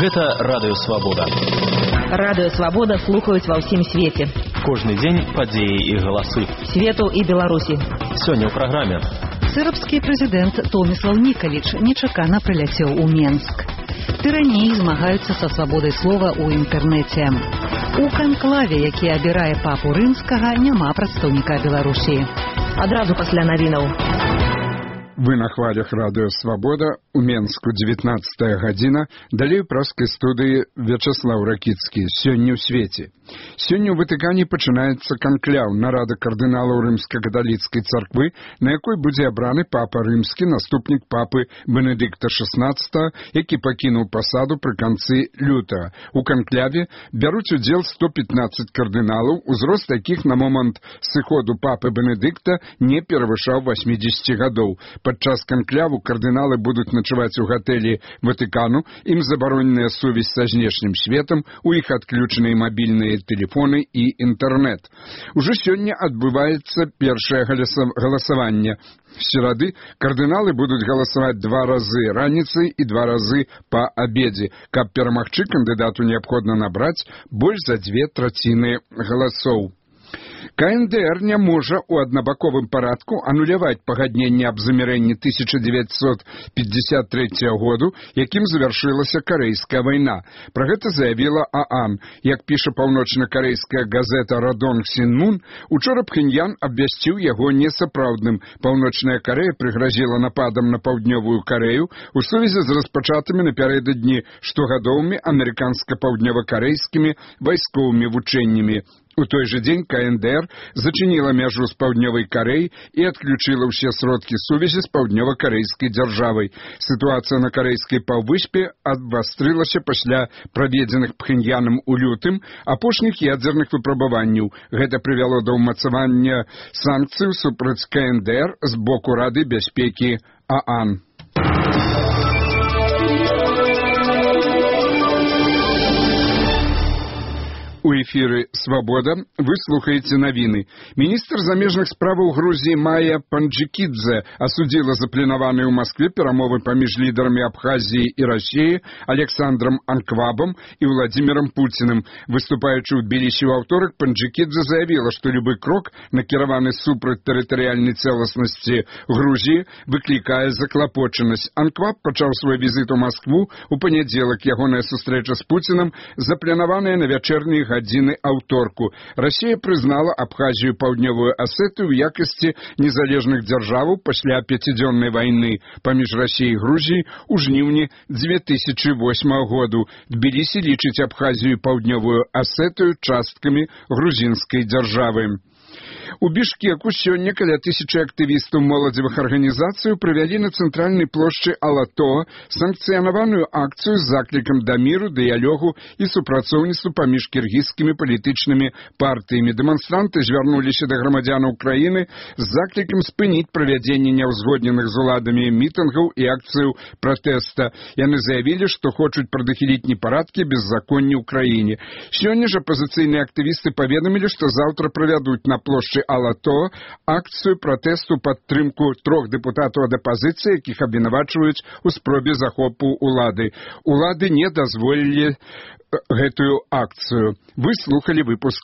Гэта Радыё Свабода. Радыё Свабода слухаюць ва ўсім свеце. Кожны дзень падзеі і галасы. Свету і Беларусі. Сёння ў праграме. Сербскі прэзідэнт Томіслав Нікаліч нечакана прыляцеў у Менск. Тыраніі змагаюцца са свабодай слова ў інтэрнэце. У канклаве, які абірае папу рымскага, няма прадстаўніка Беларусі. Адразу пасля навінаў. Вы на хвалях Радыё Свабода, у Менску 19 гадзіна, далей у праскай студыі Вячаслаў Ракіцкі. Сёння ў свеце. Сёння ў Ватыкане пачынаецца канкляў, нарада кардыналаў рымска-каталіцкай царквы, на якой будзе абраны папа рымскі, наступнік папы Бенедыкта XVI, які пакінуў пасаду пры канцы лютага. У канкляве бяруць удзел 115 кардыналаў, узрост якіх на момант сыходу папы Бенедыкта не перавышаў 80 гадоў. Падчас канкляву кардыналы будуць начаваць у гатэлі Ватыкану, ім забароненая сувязь са знешнім светам, у іх адключаныя мабільныя тэлефоны і інтэрнэт. Ужо сёння адбываецца першае галасаванне. В серады кардыналы будуць галасаваць 2 разы раніцай і 2 разы па абедзе. Каб перамагчы, кандыдату неабходна набраць больш за 2/3 галасоў. КНДР не можа ў аднабаковым парадку ануляваць пагадненне аб замірэнні 1953 году, якім завяршылася Карэйская вайна. Пра гэта заявіла ААН. Як піша паўночна-карэйская газета «Радонг Сінмун», учора Пхеньян абвясціў яго несапраўдным. Паўночная Карэя прыгразіла нападам на паўднёвую Карэю у сувязі з распачатымі напярэдадні штогадовымі амерыканска-паўднёва-карэйскімі вайсковымі вучэннямі. У той же дзень КНДР зачыніла мяжу з паўднёвай Карэй і адключыла ўсе сродкі сувязі з паўднёва-карэйскай дзяржавай. Сітуацыя на карэйскай паўвыспе абвастрылася пасля праведзеных Пхеньянам у лютым апошніх ядзерных выпрабаванняў. Гэта прывяло да ўмацавання санкцый супраць КНДР з боку Рады бяспекі ААН. У эфіры «Свабода» вы слухаеце навіны. Міністр замежных справаў Грузіі Майя Панджикидзе асудзіла запланаваныя ў Маскве перамовы паміж лідарамі Абхазіі і Расіі Александром Анквабом і Владимиром Путиным. Выступаючы ў Тбілісі ў аўторак, Панджикидзе заявіла, што любы крок, накіраваны супраць тэрытарыяльнай цэласнасці Грузіі, выклікае заклапочанасць. Анкваб пачаў свой візіт у Маскву у панядзелак. Ягоная сустрэча з Путиным запланаваная на вячэрнія гадзіны аўторку. Расія прызнала Абхазію паўднёвую Асетыю ў якасці незалежных дзяржаваў пасля 5-дзённай вайны паміж Расіяй і Грузіяй у жніўні 2008 году. Тбілісі лічыць Абхазію паўднёвую Асетыю часткамі грузінскай дзяржавы. У Бішкеку сёння каля 1000 актывістаў моладзевых арганізацый правялі на цэнтральнай плошчы Алато санкцыянаваную акцыю з заклікам да міру, дыялогу і супрацоўніцтву паміж кіргізскімі палітычнымі партыямі. Дэманстранты звярнуліся да грамадзянаў краіны з заклікам спыніць правядзенне няўзгодненых з уладамі мітынгаў і акцыяў пратэста. Яны заявілі, што хочуць прадухіліць непарадкі беззаконні ў краіне. Сёння ж апазіцыйныя актывісты паведамілі, што заўтра правядуць на плошчы Алато акцыю пратэсту падтрымку 3 дэпутатаў ад апазіцыі, якіх абвінавачваюць у спробе захопу улады. Улады не дазволілі гэтую акцыю. Вы слухалі выпуск